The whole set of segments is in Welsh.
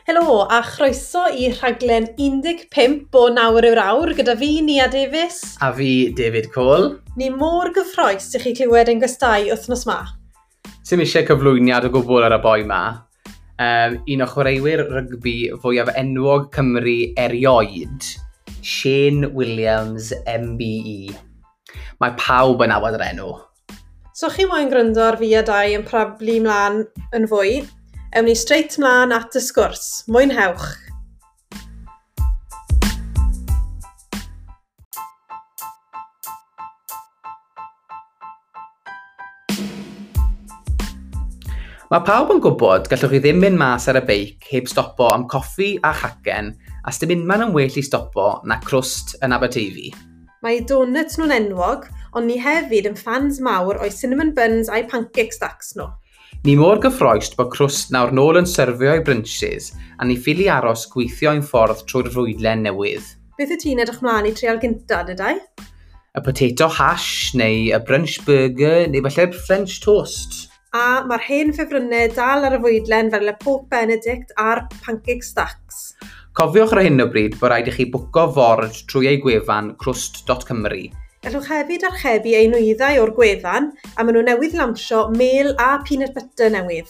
Helo a chroeso i rhaglen 15 o Nawr yw'r Awr gyda fi, Nia Davies. A fi, David Cole. Ni mor gyffroes i chi clywed ein gwestai wythnos ma. Sim eisiau cyflwyniad o gwbl ar y boi ma. Un o chwaraewyr rygbi fwyaf enwog Cymru erioed, Shane Williams MBE. Mae pawb yn nabod yr enw. So chi moyn gryndo ar fi a Dai yn prablu mlaen yn fwy, ewn ni straight mlaen at y sgwrs. Mwynhewch! Mae pawb yn gwybod gallwch chi ddim mynd mas ar y beic heb stopo am coffi a chacen, a sdim unman yn well i stopo na Crwst yn Aberteifi. Mae eu donuts nhw'n enwog, ond ni hefyd yn ffans mawr o'i cinnamon buns a'i pancake stacks nhw. Ni mor gyffroes bod Crwst nawr nôl yn syrfio ei brunches a ni ffili aros gweithio ein ffordd trwy'r fwydlen newydd. Beth wyt ti'n edrych mlaen i trial gynta, dydau? Y potato hash, neu y brunch burger, neu falle'r French toast. A mae'r hen ffefrynnau dal ar y fwydlen fel y pork benedict a'r pancake stacks. Cofiwch ar hyn o bryd bod rhaid i chi bwco ford trwy ei gwefan crwst.cymru. Gallwch hefyd archebu eu nwyddau o'r gwefan a maen nhw newydd lansio mêl a peanut butter newydd.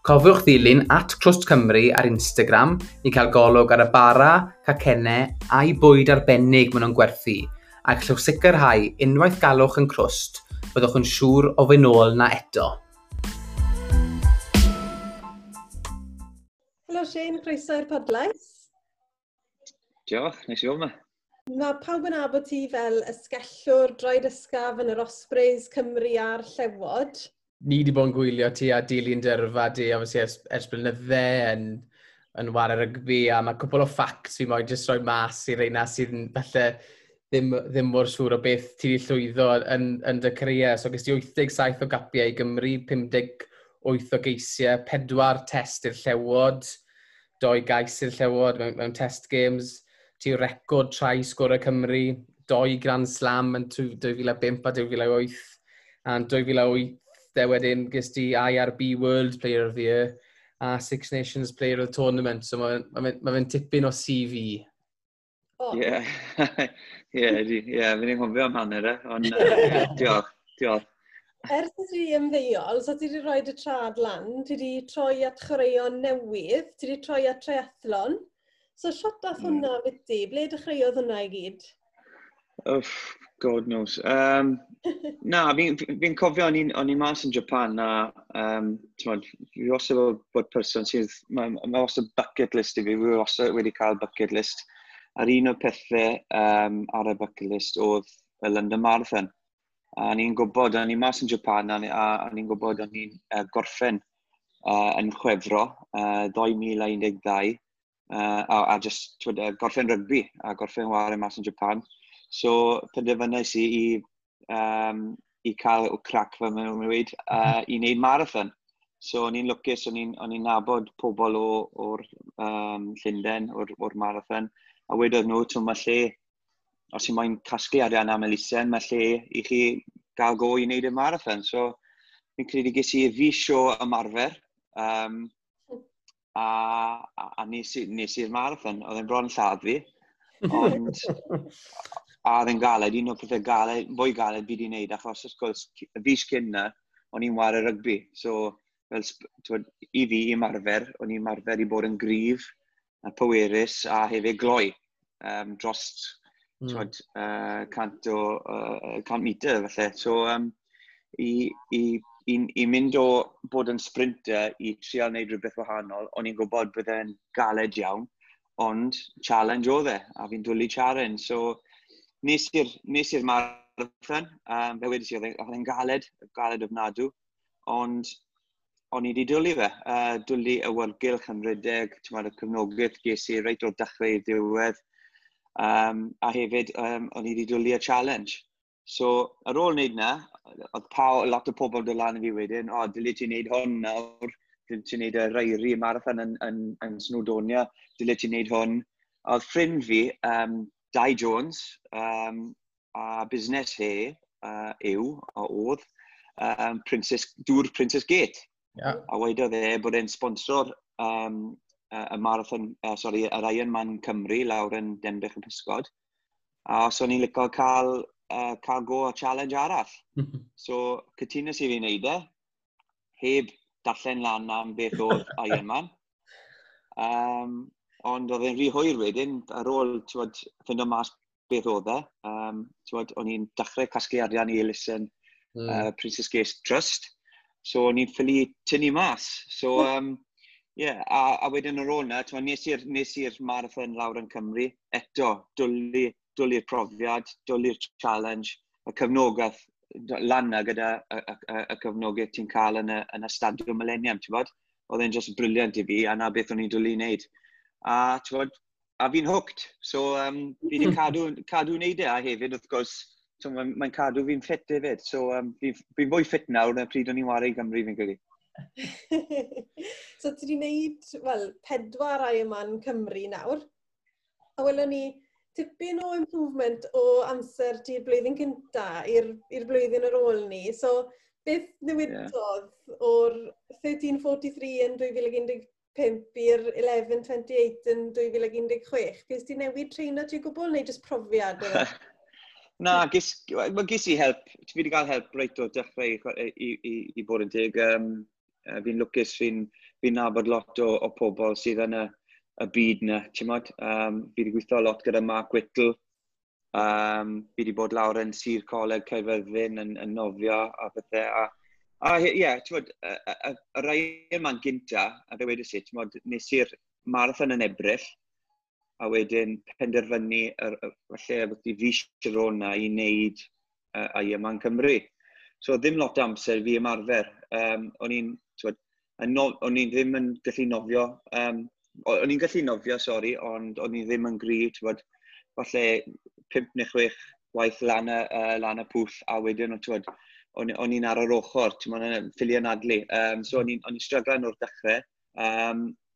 Cofiwch ddilyn @crwstcymru ar Instagram i cael golwg ar y bara, cacennau a'i bwyd arbennig maen nhw'n gwerthu, a gallwch sicrhau unwaith galwch yn Crwst, byddwch yn siŵr o fynd nôl na eto. Helo Shane, croeso i'r podlais. Diolch, neis i fod yma. Mae pawb yn nabod ti fel ysgellwr droed ysgaf yn yr Ospreys, Cymru a'r Llewod. Ni wedi bod yn gwylio ti a dilyn dyrfa di, obviously, ers blynydde yn ware rygbi, a mae cwpl o facts fi moyn jyst rhoi mas i reina sydd yn falle ddim mor siŵr o beth ti wedi llwyddo yn dy career. So ges ti 87 o gapiau i Gymru, 58 o geisiau, 4 test i'r Llewod, 2 gais i'r Llewod mewn test games. Ti record try sgorer Cymru, 2 Grand Slam yn 2005 a 2008. A yn 2008 de wedyn ges ti IRB World Player of the Year a Six Nations Player of the Tournament. So ma fe'n tipyn o CV. Oh. Ie, ie, ie, fi'n anghofio am hanner e, ond diolch, diolch. Ers i ti ymddeol, so ti wedi rhoi dy trad lan, ti wedi troi at chwaraeon newydd, ti wedi troi at triathlon. So shwt dath hwnna fyty? Ble dechreuodd hwnna i gyd? Uff, God knows. Na, fi'n cofio o'n i mas yn Japan a t'mod, fi wastad bod person sydd, ma wastad bucket list i fi, fi wastad wedi cael bucket list. A'r un o'r pethau ar y bucket list oedd y London Marathon. A o'n i'n gwybod, o'n i mas yn Japan, a o'n i'n gwybod o'n i'n gorffen yn Chwefro, 2012, a just, t'wod, gorffen rygbi, a gorffen ware mas yn Japan. So, penderfynais i i cael o crac fel maen nhw'n dweud, i wneud marathon. So, o'n i'n lwcus, o'n i'n nabod pobl o'r Llundain, o'r marathon, a wedodd nhw, t'wod, mae lle, os ti'n moyn casglu arian am elusen, mae lle i chi gael go i wneud y marathon. So, fi'n credu ges i fis o ymarfer, a nes i'r marathon. Oedd e'n bron lladd fi, ond a oedd e'n galed, un o'r pethau galed, fwy galed fi wedi wneud, achos wrth gwrs, y fis cyn na, o'n i'n ware rygbi. So, fel t'wod, i fi, i ymarfer, o'n i'n ymarfer i bod yn gryf, a pwerus, a hefyd gloi, dros, t'wod, 100 metr, falle. So, i mynd o bod yn sprinter i trial wneud rhywbeth wahanol, o'n i'n gwybod bydd e'n galed iawn, ond challenge oedd e, a fi'n dwlu challenge. So, nes i'r marathon, fe wedes i, oedd e'n galed, galed ofnadw, ond o'n i wedi dwlu fe. Dwlu y awyrgylch yn rhedeg, t'mod, y cefnogaeth ges i reit o'r dechrau i'r diwedd, a hefyd, o'n i wedi dwlu y challenge. So, ar ôl wneud na, oedd lot o pobl dod lan i fi wedyn, o, dyle ti wneud hwn nawr, dyle ti wneud y Eryri marathon yn Snowdonia, dyle ti wneud hwn. A oedd ffrind fi, Dai Jones, a busnes he yw, a oedd, Princess, Dŵr Princess Gate. A wedodd e bod e'n sponsor y marathon, sorry, yr Ironman Cymru lawr yn Denbych y Pysgod. A os o'n i'n licio cael go o challenge arall. So, cytunes i fi wneud e, heb darllen lan am beth oedd Ironman. Ond oedd e'n rhy hwyr wedyn, ar ôl, t'wod, ffindo mas beth oedd e. T'wod, o'n i'n dechrau casglu arian i elusen Princess Grace Trust. So o'n i'n ffili tynnu mas. So, yeah, a wedyn ar ôl 'na, t'wod, nes i'r marathon lawr yn Cymru. Eto, dwlu'r profiad, dwlu'r challenge, y cefnogaeth lan 'na gyda y cefnogaeth ti'n cael yn y Stadiwm Millennium, ti'n bod? Oedd e'n just brilliant i fi, a na beth o'n i'n dwlu wneud. A, ti'n bod, a fi'n hooked. So, fi wedi cadw wneud e, a hefyd, wrth gwrs, so, mae'n cadw fi'n ffit hefyd. So, fi fwy ffit nawr na pryd o'n i'n whare i Gymru, fi'n credu. So ti wedi gwneud, wel, pedwar Ironman Cymru nawr. A welon ni tipyn o improvement o amser ti'r blwyddyn cynta i'r blwyddyn ar ôl ni. So, beth newidodd o'r 13:43 yn 2015 i'r 11:28 yn 2016? Ges ti newid treino ti o gwbl neu jyst profiad oedd e? Na, well, ges i help. Fi wedi cael help reit o dechrau i bod yn teg. Fi'n lwcus, fi nabod lot o pobl sydd yn y byd na, ti'n modd? Fi wedi gweithio lot gyda Mark Whittle. Fi wedi bod lawr yn Sir Coleg Caerfyrddin yn nofio a pethau. A ie, yeah, ti'n modd, y rai yma'n gynta, a fe wedes i, ti'n modd, nes i'r marathon yn Ebrill, a wedyn penderfynu falle beth i fis ar ôl 'na i wneud Ironman Cymru. So ddim lot o amser fi ymarfer. O'n i'n, t'wod, yn no, o'n i ddim yn gallu nofio. O'n i'n gallu nofio, sori, ond o'n i ddim yn gry, t'wod, falle 5 neu 6 waith lan y pwll, a wedyn, t'wod, o'n i'n ar yr ochr, ti'n yn ffili anadlu. So o'n i'n stryglan o'r dechrau.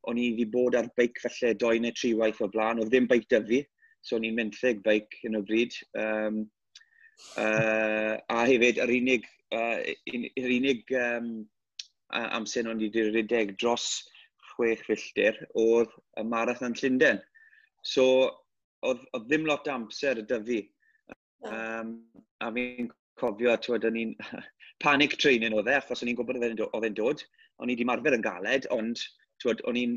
O'n i wedi bod ar beic falle doi neu tri waith o blaen. Oedd ddim beic 'da fi, so o'n i'n menthyg beic yn o bryd. A hefyd, yr unig amser o'n i wedi rhedeg dros 6 filltir oedd y marathon Llundain. So, oedd ddim lot o amser 'da fi. A fi'n cofio, t'wod, o'n i'n panic training oedd e, achos o'n i'n gwybod oedd e'n dod. O'n i wedi marfer yn galed, ond t'wod, o'n i'n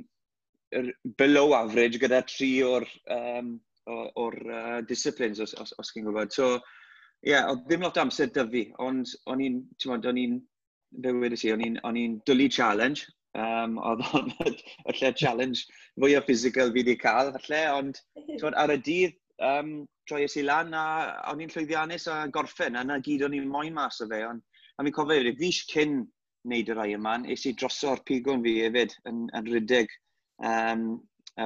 below average gyda tri o'r disciplines, os chi'n gwybod. So, ie, yeah, oedd ddim lot o amser 'da fi, ond o'n i'n, t'mod, o'n i'n, be wedes i, o'n i'n dwlu challenge. Oedd o'n y lle challenge fwyaf physical fi wedi cael, falle, ond t'mod, ar y dydd, troies i lan a o'n i'n llwyddiannus a gorffen, a na gyd o'n i'n moyn mas o fe. Ond, a fi'n cofio hefyd, fis cyn wneud yr Ironman, es i droso'r pigwn fi hefyd yn rhedeg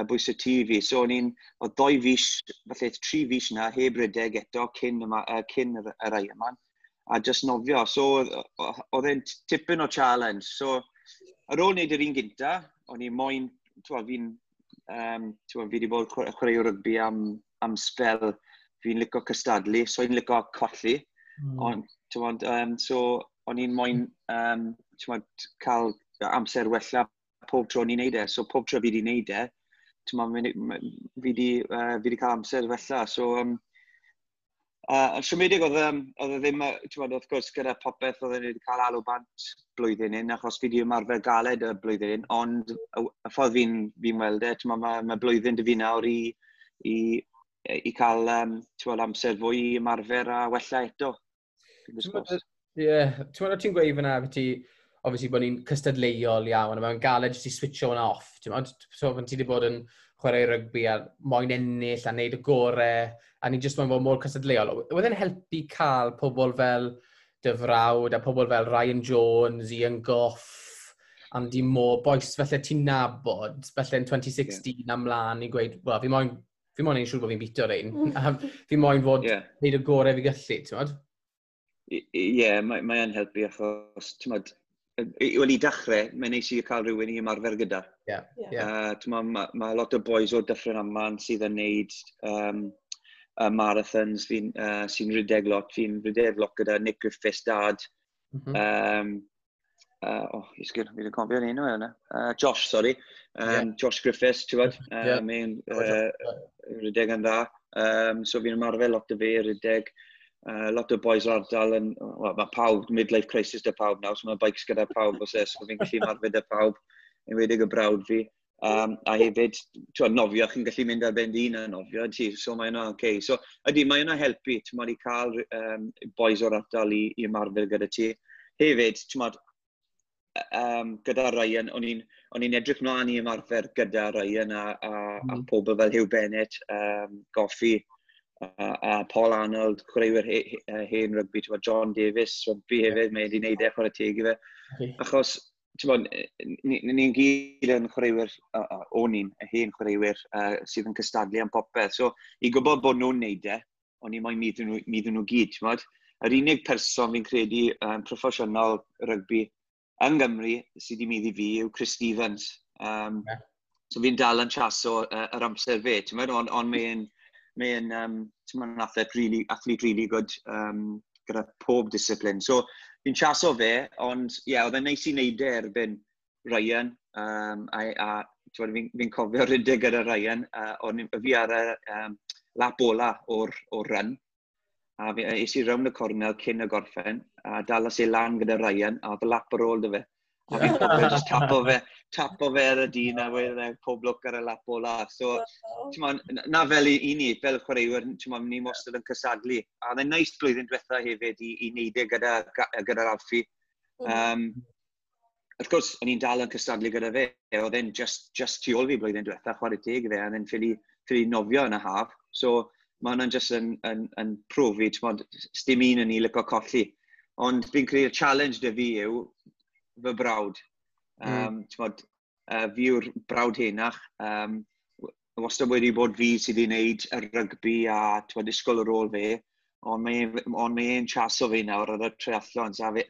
bwys y tŷ fi. So oedd 2 fis, falle 3 fis na, heb rhedeg eto cyn yr Ironman, a just nofio. So oedd e'n tipyn o challenge. So ar ôl wneud yr un gynta, o'n i'n moyn, t'wod, t'wod, fi wedi bod chwaraewr rygbi am spel, fi'n licio cystadlu, so i'n licio colli. Ond, t'wod, so o'n i'n moyn t'wod, cael amser wella pob tro o'n i'n neud e. So pob tro fi wedi neud e, t'mod, fi wedi cael amser wella. So, siomedig oedd e ddim, t'mod, wrth gwrs, gyda popeth oedd wedi cael alw bant blwyddyn un, achos fi wedi ymarfer galed y blwyddyn un, ond y ffordd fi weld e, t'mod, ma blwyddyn 'da fi nawr i cael t'mod, amser fwy i ymarfer a wella eto. Fingers crossed. Ie, ti'n meddwl ti'n gweud fyna, ti, obviously bod ni'n cystadleuol iawn, a mae'n galed jyst i switcho hwnna off, ti'n meddwl? So, pan ti wedi bod yn chwarae rygbi a moyn ennill a neud y gore, a ni jyst moyn fod mor cystadleuol. Oedd e'n helpu cael pobl fel dy frawd a pobl fel Ryan Jones, Ian Gough, Andy Moore, boys felly ti'n nabod, felly yn 2016 yeah, amlaen i gweud, wel, fi moyn neud siŵr bod fi'n bito rein. A fi moyn fod neud y gore fi gallu, ti'n modd? Ie, yeah, mae yn helpu achos, ti'n modd, wel, i dechrau, mae'n neis i cael rhywun i ymarfer gyda. T'mod, ma lot o boys o Dyffryn Aman sydd yn neud marathons sy'n rhedeg lot. Fi'n rhedeg lot gyda Nick Griffiths dad. Oh, isgyn, fi wedi cofio'r enw yna. Josh, sorry. Josh Griffiths, ti'n gwybod? Mae'n rhedeg yn dda. So fi'n ymarfer lot o fe, rhedeg. Lot o boys o'r ardal yn, well, mae pawb, midlife crisis 'da pawb nawr, so mae bikes gyda pawb os e, so fi'n gallu ymarfer 'da pawb, enwedig y brawd fi. A hefyd, ti'n nofio, chi'n gallu mynd ar ben dyn a nofio, ti, so mae yna okay. So, ydy, mae yna helpu, ti'n i cael boys o'r ardal i ymarfer gyda ti. Hefyd, ti'n gyda Ryan, o'n i'n edrych mlaen i ymarfer gyda Ryan a pobl fel Hugh Bennett, Goffi, a Paul Arnold, chwaraewyr hen rygbi, ti'n John Davies, rygbi hefyd, mae wedi gwneud e, chwarae teg i fe. Achos, ti'n ni'n gyd yn chwaraewyr, o'n i'n hen chwaraewyr sydd yn cystadlu am popeth. So, i gwybod bod nhw'n neud e, o'n i'n moyn maeddu nhw gyd, ti'n Yr unig person fi'n credu proffesiynol rygbi yng Nghymru sydd wedi maeddu fi yw Chris Stevens. So fi'n dal yn chaso yr amser fe, ti'n ond mae'n athlete really, athlete really good gyda pob discipline. So fi'n chaso fe, ond ie, yeah, oedd e'n neis i wneud e erbyn Ryan. A fi'n cofio rhedeg gyda Ryan, o'n fi ar y lap ola o'r run. A fi, es i rownd y cornel cyn y gorffen, a dalas i lan gyda Ryan, a oedd y lap ar ôl 'da fe. A fi'n cofio just tapo fe ar y dyn a wedyn e, pob lwc ar y lap ola. So, ti'n na fel i ni, fel chwaraewyr, ti'n ni wastad yn cystadlu. A oedd e'n neis blwyddyn diwetha hefyd i wneud e gyda Alfie. Wrth gwrs, o'n i'n dal yn cystadlu gyda fe. Oedd e'n just tu ôl fi blwyddyn diwetha, chwarae teg i fe, a oedd e'n ffili nofio yn y haf. So, mae hwnna'n just yn profi, ti'n dim un yn ni licio colli. Ond fi'n credu'r challenge 'da fi yw fy brawd. Fi yw'r brawd henach. Wastad wedi bod fi sydd wedi gwneud y rygbi a t'mod, disgwyl ar ôl fe. Ond mae e'n chaso fi nawr ar y triathlons. A fe,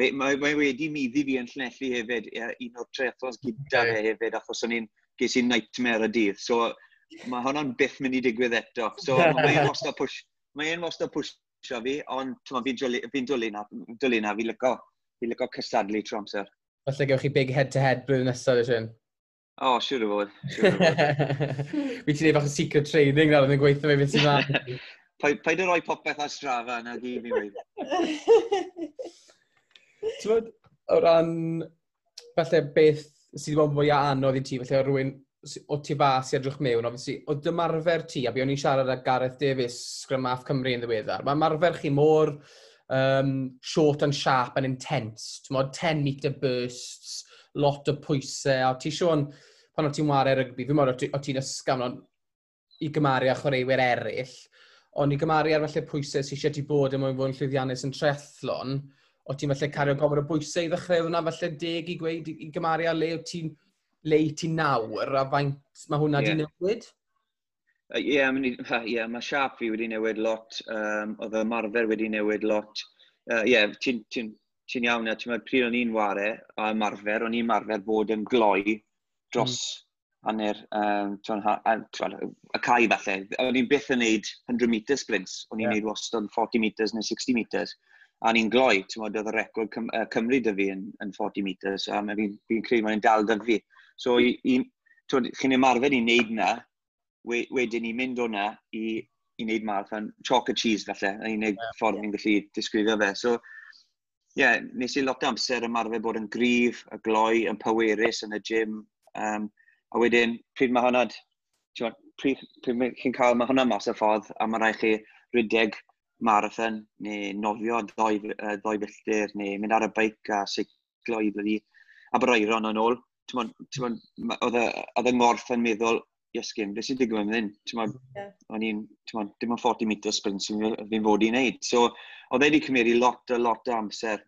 mae wedi maeddu fi yn Llanelli hefyd, un o'r triathlons gyda fe hefyd, achos o'n i'n ges i nightmare y dydd. So mae hwnna'n byth mynd i digwydd eto. So mae e'n wastad pwysio fi, ond fi'n dwlu na, fi'n licio cystadlu trwy amser. Falle gewch chi big head-to-head blwyddyn nesaf, ydych? O, oh, siŵr o fod. Siŵr o fod. Fi ti'n neud bach o secret training nawr yn gweithio fe beth sy'n ma. Paid o roi popeth ar Strava na gyd fi'n gweud. Ti'n bod, o ran, falle beth sydd wedi bod yn fwy anodd i ti, falle o rhywun o tu fas i edrych mewn, obviously, o dymarfer ti, a be o'n i'n siarad â Gareth Davies, Scrum Half Cymru yn ddiweddar, mae ymarfer chi mor short and sharp and intense, ti'n modd, 10 metre bursts, lot o pwysau, a ti Sean, pan o ti'n wario rygbi, fi'n meddwl o ti'n ysgafn ond i gymaru â chwaraewyr eraill, ond i gymaru ar falle pwysau sydd eisiau ti bod yn mwyn fod yn llwyddiannus yn triathlon, o ti'n falle cario gormod o bwysau i ddechrau, oedd hwnna falle deg i gweud i gymaru â le i ti nawr, a faint mae hwnna di newid? Ie, yeah, mae siap fi wedi newid lot, oedd y ymarfer wedi newid lot. Ie, yeah, ti'n ti, ti iawn, ti'n meddwl, pryd o'n i'n ware a ymarfer, o'n i'n ymarfer bod yn gloi dros hanner, y cae falle. O'n i'n byth yn neud 100 metre sprints, o'n i'n neud wastad 40 metres neu 60 metres. A o'n i'n gloi, ti'n meddwl, oedd y record Cymru 'da fi yn 40 metres, a fi credu mae'n dal 'da fi. So, chi'n ymarfer i wneud na, wedyn i mynd o'na i wneud marathon, chalk and cheese falle, yn unig ffordd fi'n gallu disgrifio fe. So, ie, yeah, nes i lot o amser ymarfer bod yn gryf, y gloi, yn pwerus yn y gym. A wedyn, pryd mae hwnna, pryd chi'n cael, mae hwnna mas y ffordd, a mae rhaid chi rhedeg marathon, neu nofio 2 filltir, neu mynd ar y beic a seiclo i blydi Aberaeron yn ôl. Oedd y ngorff yn meddwl, "Iesgyn, beth sy'n digwydd fan hyn?" O'n i'n, dim ond 40 metre sprint sy'n fi'n fod i wneud. So, oedd e wedi cymryd lot o amser.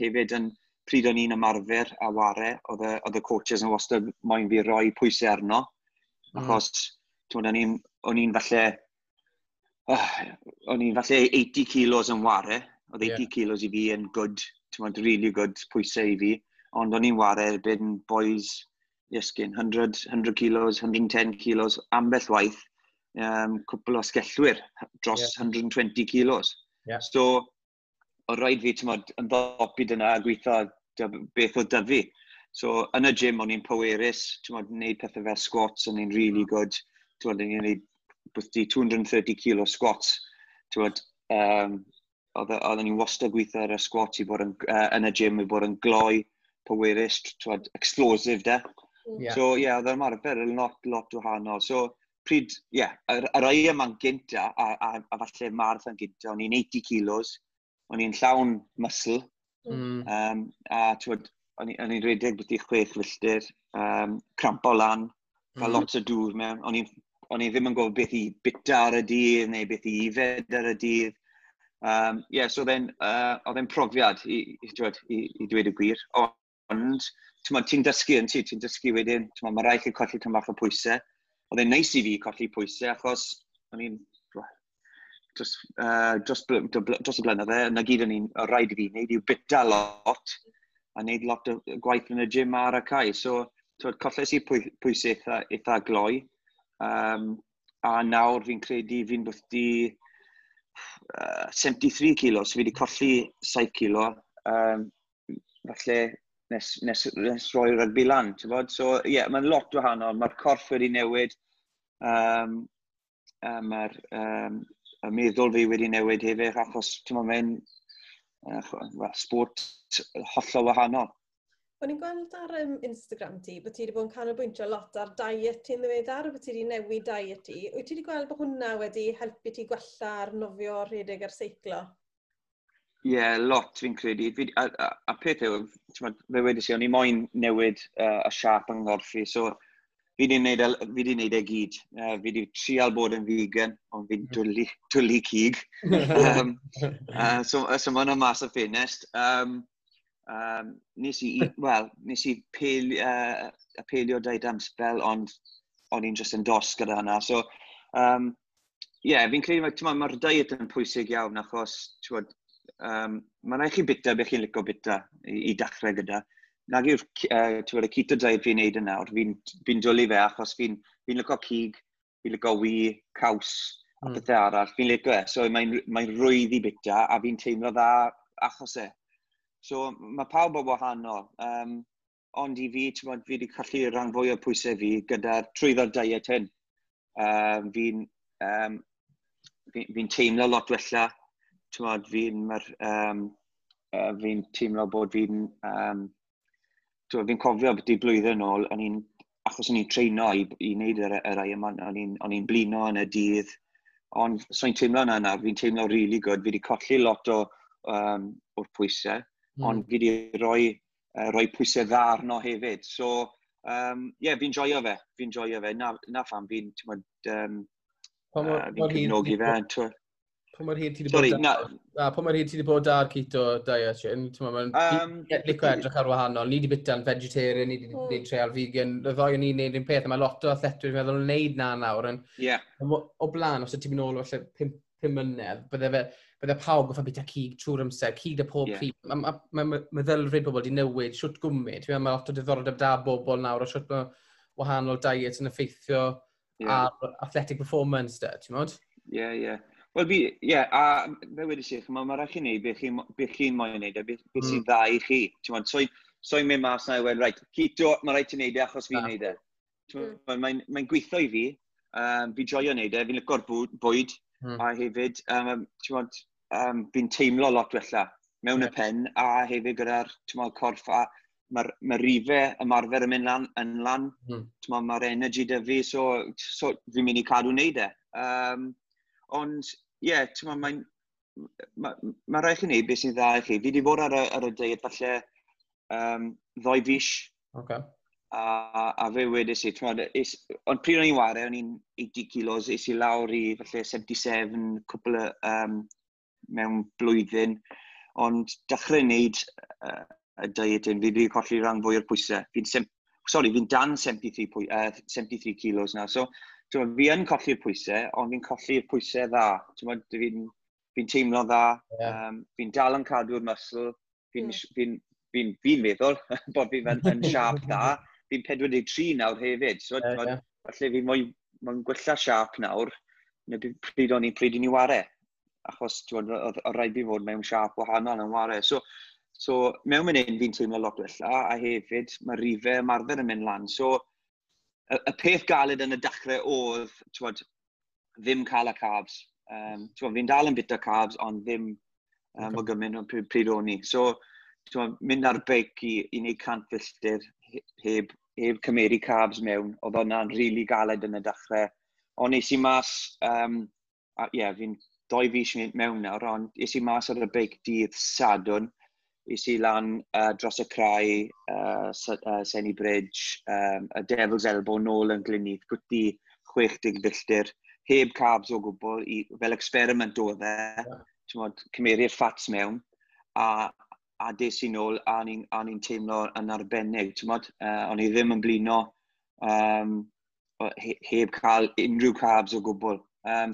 Hefyd, yn pryd o'n i'n ymarfer a ware, oedd y coaches yn wastad moyn fi roi pwysau arno. Achos, o'n i'n falle 80 kilos yn ware. Oedd 80 kilos i fi yn good, ti'n really good pwysau i fi. Ond o'n i'n ware erbyn boys, Iesgyn, 100, 100 kilos, 110 kilos, ambell waith, cwpl o asgellwyr dros 120 kilos. So, o rhaid fi, ti'n modd, yn ddopi dyna a gweithio beth oedd 'da fi. So, yn y gym, o'n i'n pwerus, ti'n modd, wneud pethau fel squats, o'n i'n really good. Ti'n modd, o'n i'n gwneud bwthdi 230 kilo squats. Ti'n modd, oedden ni'n wastad gweithio ar y squats i bod yn y gym, i bod yn gloi, pwerus, ti'n modd, explosive de. So, ie, yeah, oedd yr ymarfer yn lot, lot wahanol. So, pryd, ie, yeah, yr Ironman gynta, a falle marathon gynta, o'n i'n 80 kilos, o'n i'n llawn muscle, a ti'n o'n i'n rhedeg beth i 6 filltir, crampo lan, cael lot o dŵr mewn. O'n i ddim yn gwybod beth i bita ar y dydd neu beth i ifed ar y dydd. Yeah, so oedd e'n profiad i dweud y gwir. Ond, ti'n dysgu yn ti, ti'n dysgu wedyn, mae rhaid chi colli tam bach o pwysau. Oedd e'n neis i fi colli pwysau achos o'n i'n dros y blynydde, yna gyd o'n i'n rhaid i fi wneud yw bita lot a wneud lot o gwaith yn y gym ar y cae. So, twyd, colles i pwysau eitha gloi. A nawr fi'n credu fi'n bwthdi 73 kilo, so fi wedi colli 7 kilo. Falle nes roi rygbi lan, ti'n bod? So, ie, yeah, mae'n lot wahanol. Mae'r corff wedi newid. Mae'r y meddwl fi wedi newid hefyd, achos, ti'n bod, mae'n well, sport hollol wahanol. O'n i'n gweld ar Instagram ti bod ti wedi bod yn canolbwyntio lot ar diet ti'n ddiweddar, bod ti wedi newid diet ti. Wyt ti wedi gweld bod hwnna wedi helpu ti gwella ar nofio, rhedeg a'r seiclo? Ie, yeah, lot fi'n credu. A peth yw, t'mod, fe wedys i, o'n i moyn newid y siap yng nghorff i, so fi wedi wneud e gyd. Fi wedi trial bod yn vegan, ond fi'n dwlu cig. So mae hwnna mas o ffenest. Nes i, wel, nes i y paleo diet am spel, ond o'n i'n just yn dost gyda hynna. So, yeah, fi'n credu, mae'r diet yn pwysig iawn, achos, t'mod, mae'n rhaid chi bita beth chi'n licio bita i dechrau gyda. Nag yw'r t'mod, y keto diet fi'n neud yn nawr, fi dwlu fe achos fi licio cig, fi'n licio wy, caws, a pethau arall. Fi'n licio e, so mae rwydd i bita a fi'n teimlo dda achos e. So mae pawb o wahanol. Ond i fi, t'mod, fi wedi colli rhan fwy o pwysau fi gyda'r trwyddo'r diet hyn. Fi teimlo lot wella. T'mod, fi teimlo bod fi'n... Fi cofio beth i blwyddyn nôl, o'n i'n, achos o'n i'n treino i wneud yr Ironman, o'n i'n blino yn y dydd. Ond so'n teimlo yna nawr, fi'n teimlo really good. Fi wedi colli lot o'r pwysau, ond fi wedi rhoi pwysau dda arno hefyd. So, yeah, fi'n joio fe. Fi'n joio fe. Na pham fi'n, t'mod, fi'n cefnogi fe. T'mod. Pa mor hir ti wedi bod na, pa mor hir ti wedi bod ar keto diet, Shane? Ti'n meddwl, mae'n licio edrych ar wahanol. Ni wedi bita'n vegetarian, ni wedi trial vegan. Y ddoi o'n ni'n neud un peth, a mae lot o athletwyr yn meddwl wneud na nawr. O blaen, os ydych ti'n mynd nôl falle 5 mlynedd, bydde pawb goffa bita cig trwy'r amser, cig da pob pryd. Ma meddylfryd bobl wedi newid, siwt gwmyd. Ti'n meddwl, mae lot o diddordeb da bobl nawr o siwt mae wahanol diet yn effeithio ar athletic performance, de, ti'n modd? Ie. Wel, fi, ie, yeah, a fe wedi si, mae rhaid chi wneud beth chi'n chi moyn wneud a beth sy'n dda i chi. Ti'n modd, so i'n mynd mas na i weud, "Right, keto, mae rhaid ti wneud e achos fi'n wneud e." Mae'n mae gweithio i fi, fi'n joio wneud e, fi'n licio'r bwyd, a hefyd, ti'n modd, fi'n teimlo lot wella mewn y pen, a hefyd gyda'r, ti'n modd, corff, a mae'r ma rifau ymarfer yn mynd lan, yn lan. Ti'n modd, mae'r energy 'da fi, so fi'n mynd i cadw wneud e. Ond, ie, yeah, ti'n modd, ma rhaid chi wneud beth sy'n dda i chi. Fi wedi bod ar y diet falle 2 fis. A fe wedes i, t'mod, ond pryd o'n i'n ware, o'n i'n 80 kilos, es i lawr i falle 77, cwpl o, mewn blwyddyn. Ond dechrau wneud y diet hyn, fi wedi colli rhan fwy o'r pwysau. Sorry, fi'n dan 73, 73 kilos nawr. So, t'mod, fi yn colli'r pwysau, ond fi'n colli'r pwysau dda. T'mod, fi teimlo dda, fi'n dal yn cadw'r muscle, fi'n fi fi meddwl bod fi'n yn siâp dda. Fi'n 43 nawr hefyd, so t'mod, falle fi mwy, mae'n gwella siâp nawr, na pryd o'n i pryd i ni ware. Achos t'mod, oedd rhaid fi fod mewn siâp wahanol yn ware. So, So, mewn mynd hyn fi'n teimlo lot wella, a hefyd mae rifau ymarfer yn mynd lan. So, y peth galed yn y dechrau oedd, t'wod, ddim cael y carbs. T'wod, fi'n dal yn bita carbs, ond ddim o gymaint o pryd o'n i. So, t'wod, mynd ar beic i wneud 100 filltir heb cymeru carbs mewn, oedd hwnna'n rili really galed yn y dechrau. Ond nes i mas, a, ie, fi'n 2 fis mewn nawr, ond es i mas ar y beic dydd Sadwrn, es i lan dros y crai, Senny Bridge, y Devil's Elbow nôl yn Glynneath, gwti 60 filltir, heb carbs o gwbl, fel experiment oedd e, yeah. Cymeru'r ffats mewn, a des i nôl, a o'n i'n teimlo yn arbennig, t'mod, o'n i ddim yn blino heb cael unrhyw carbs o gwbl.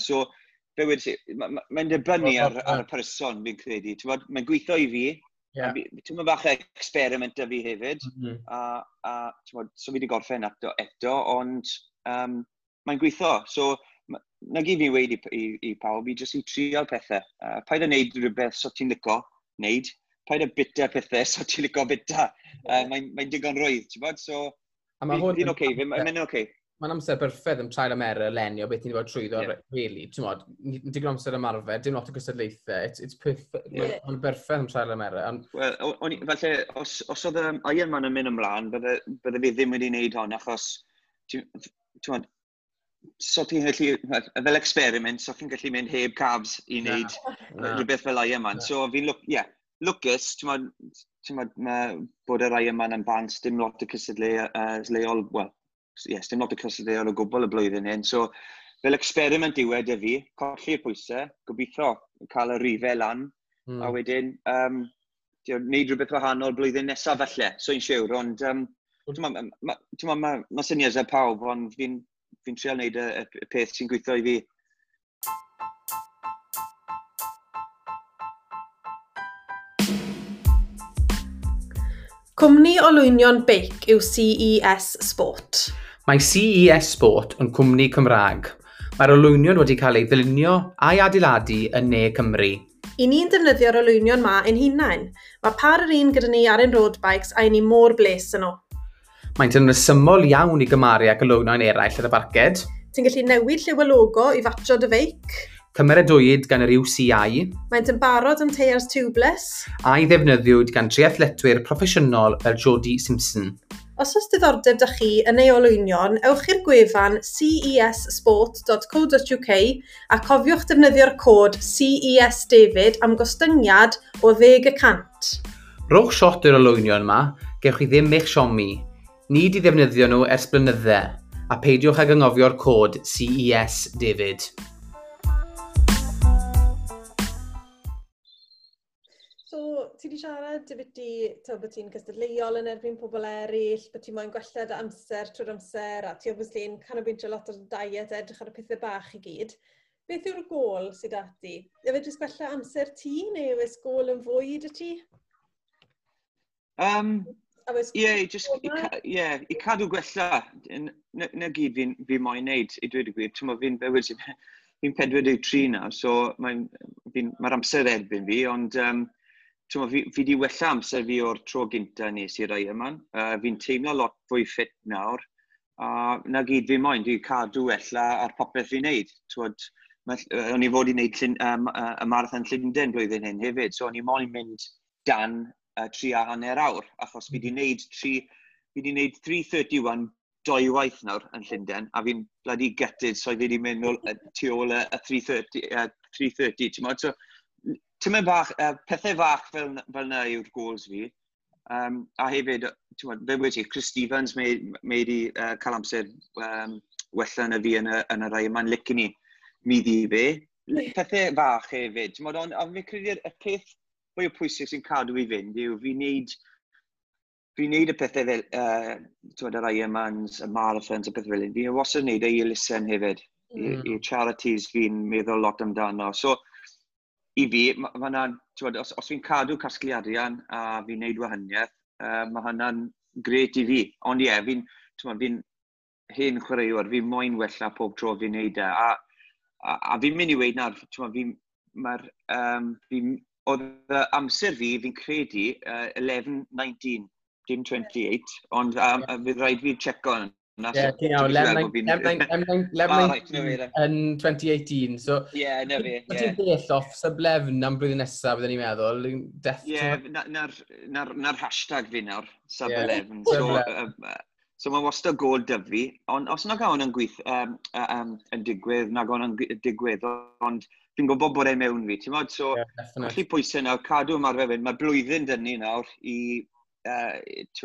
So, fe wedi, mae'n ma dibynnu ar y person, fi'n credu. T'mod, mae'n gweithio i fi. Ti'n bach o experiment 'da fi hefyd. A t'mod, so fi wedi gorffen eto, ond mae'n gweithio. So, na gyd fi'n weud i pawb, i jyst i trial pethau. Paid â wneud rhywbeth so ti'n lico wneud. Paid â bita pethau so ti'n lico bita. Mae'n digon rwydd, ti'n bod? So, A mae hwn fi'n oce, mae'n oce. Mae'n amser berffaith am trial and error leni o beth ni'n bod trwyddo, really. Ti'n modd, digon amser ymarfer, dim lot o gystadlaethau. It's perfect. Mae'n berffaith am trial and error. Ond Wel, falle, os oedd Ironman yn mynd ymlaen, bydde fi ddim wedi wneud hon, achos, ti'n modd, so ti'n gallu, fel experiment, so ti'n gallu mynd heb carbs i wneud rhywbeth fel Ironman. So fi'n, yeah, lwcus, ti'n modd, mae bod yr Ironman yn bant, dim lot o cystadleuol, wel, yes, dim lot o cystadleuol o gwbl y blwyddyn hyn. So, fel experiment yw e 'da fi, colli'r pwysau, gobeithio cael y rifau lan, a wedyn, wneud rhywbeth wahanol blwyddyn nesaf falle, so i'n siwr, ond ti'n ma, ma syniadau pawb, ond fi'n trial wneud y peth sy'n gweithio i fi. Cwmni olwynion beic yw CES Sport. Mae CES Sport yn cwmni Cymraeg. Mae'r olwynion wedi cael ei ddylunio a'i adeiladu yn Ne Cymru. I ni'n defnyddio'r olwynion ma ein hunain. Mae par yr un gyda ni ar ein road bikes a i ni mor bles yn nhw. Maent yn resymol iawn i gymaru ag olwynion eraill ar y farced. Ti'n gallu newid lliw y logo i fatio dy feic. Cymeradwyd gan yr UCI. Maent yn barod am teiars tubeless. A'i ddefnyddiwyd gan triathletwyr proffesiynol fel Jodie Simpson. Os oes diddordeb 'da chi yn ei olwynion, ewch i'r gwefan cessport.co.uk a cofiwch defnyddio'r cod CES David am gostyngiad o 10%. Rowch shot i'r olwynion yma, gewch chi ddim eich siomi. Ni di ddefnyddio nhw ers blynydde, a peidiwch ag anghofio'r cod CES David. So, ti wedi siarad dy byti, bod ti'n cystadleuol yn erbyn pobl eraill, bod ti'n moyn gwella dy amser trwy'r amser, a ti obviously yn canolbwyntio lot o'r diet, edrych ar y pethau bach i gyd. Beth yw'r gôl sydd 'da ti? Yw e jyst gwella amser ti, neu yw e gôl yn fwy 'da ti? Ie, yeah, just, yeah, i cadw gwella, na gyd fi moyn neud, i dweud y gwir. Ti'n fi'n 43 nawr, so mae'r amser erbyn fi, ond fi di wella amser fi o'r tro gynta nes i'r Ironman. Fi'n teimlo lot fwy ffit nawr, a na gyd fi moyn, dwi'n cadw wella ar popeth fi'n neud. O'n i fod i wneud y Marathon Llundain blwyddyn hyn hefyd, so o'n i moyn mynd dan 3.5 awr, achos fi di wneud 3:31 dwywaith nawr yn Llundain, a fi'n bloody gutted, so fi wedi mynd nôl, tu ôl y 3:30, 3:30, ti'n modd? So, ti'n mynd bach, pethau fach fel na yw'r goals fi. A hefyd, ti'n modd, fe wedi, Chris Stevens mae wedi cael amser wella na fi yn y rai yma'n licen i mi ddi fe. Pethau fach hefyd, ti'n modd, ond fi'n credu'r y peth fwy o pwysig sy'n cadw i fynd yw fi'n neud y pethau fel, ti'n yr Ironmans, y marathons, y pethau fel hyn. Fi'n wastad yn neud e i elusen hefyd, i charities fi'n meddwl lot amdano. So, i fi, ma ti'n os fi'n cadw casglu arian a fi'n neud wahaniaeth, mae hynna'n gret i fi. Ond ie, yeah, fi hen chwaraewr, fi'n moyn wella pob tro fi'n neud e. A fi'n mynd i weud nawr, ti'n fi'n, mae'r, fi'n Oedd amser fi, fi'n credu, 11.19, dim 28, ond fydd rhaid fi checo yna. Ie, ti'n iawn, 11.19 yn 2018. So, ie, na fi. Ti'n bell off sub 11 am blwyddyn nesaf, byddwn ni'n meddwl. Ie, na'r hashtag fi nawr, sub 11. So mae wastad gol 'da fi, ond os nag hwn yn gweith, yn digwydd, nag hwn yn digwydd, ond fi'n gwybod bod e mewn fi, ti'n modd? So, yeah, colli pwysau nawr, cadw ymarfer fynd. Mae blwyddyn dyn ni nawr i,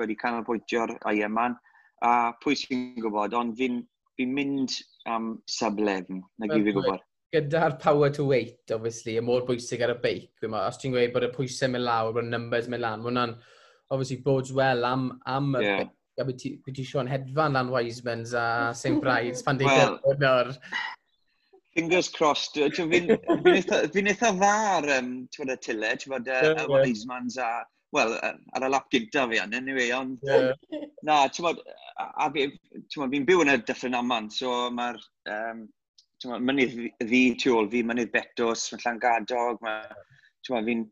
wedi canolbwyntio'r Ironman, a pwy sy'n gwybod, ond fi mynd am sub 11, na gyd fi'n gwybod. Gyda'r power to weight, obviously, y mor bwysig ar y beic, os ti'n gweud bod y pwysau mynd lawr, bod y numbers mynd lan, mae hwnna'n, obviously, bodes well am y beic. A byd ti Sean hedfan lan Wisemans a St Brides pan well, nawr. Fingers crossed. Fi'n eitha dda ar y tyle, ti'n bod, y Wisemans a, wel, ar y lap gynta fi an, anyway, ond na, ti'n bod, a fi'n byw yn y Dyffryn Aman, so mae'r, ti'n bod, mynydd ddu tu ôl fi, mynydd Betws, mae Llangadog, mae, ti'n bod, fi'n,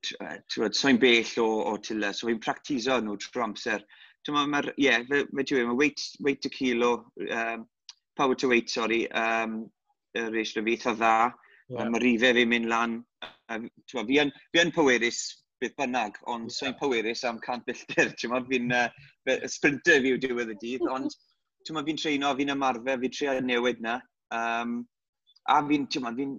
ti'n bod, so'n bell o tyle, so fi'n practiso nhw trwy amser. Ti'n bod, mae'r, ie, fe ti'n mae weight to kilo, power to weight, sorry, y ratio fi eitha dda. Yeah. Mae rifau fi'n mynd lan. Fi yn pwerus beth bynnag, ond so'n pwerus am 100 milltir. Ti'n fi'n sprinter fi yw diwedd y dydd, ond ti'n fi'n treino, fi'n ymarfer, fi'n trio newid na. A fi'n, ti'n fi'n,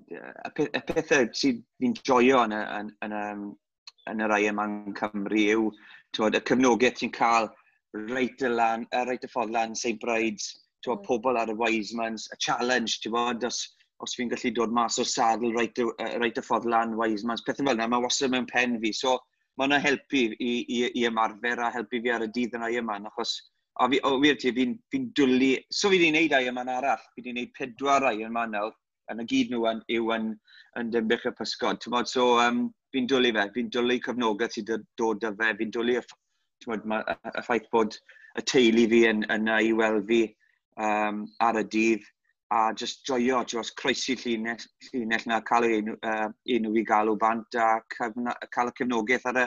y pethau sydd fi'n joio yn yr Ironman Cymru yw, ti'n y cefnogaeth ti'n cael reit y, lan, reit y ffordd lan, St Brides, ti'n pobl ar y Wisemans, y challenge, ti'n bod, os fi'n gallu dod mas o'r saddle reit, reit y ffordd lan Wisemans, pethau fel yna, mae wastad mewn pen fi. So, mae hwnna helpu i ymarfer a helpu fi ar y dydd yn Ironman, achos a fi, o, wir ti, fi dwlu, so fi wedi gwneud Ironman arall, fi wedi gwneud pedwar Ironman nawr, yn y gyd nhw yn Dinbych y Pysgod. Ti'n bod, so fi'n dwlu fe, fi'n dwlu cefnogaeth sydd dod â fe, fi'n dwlu y, ma, y ffaith bod y teulu fi yn i weld fi ar y dydd a just joio, ti'n gwybod, croesi llinell na, cael ei enw, enw fi galw bant a cael y cefnogaeth ar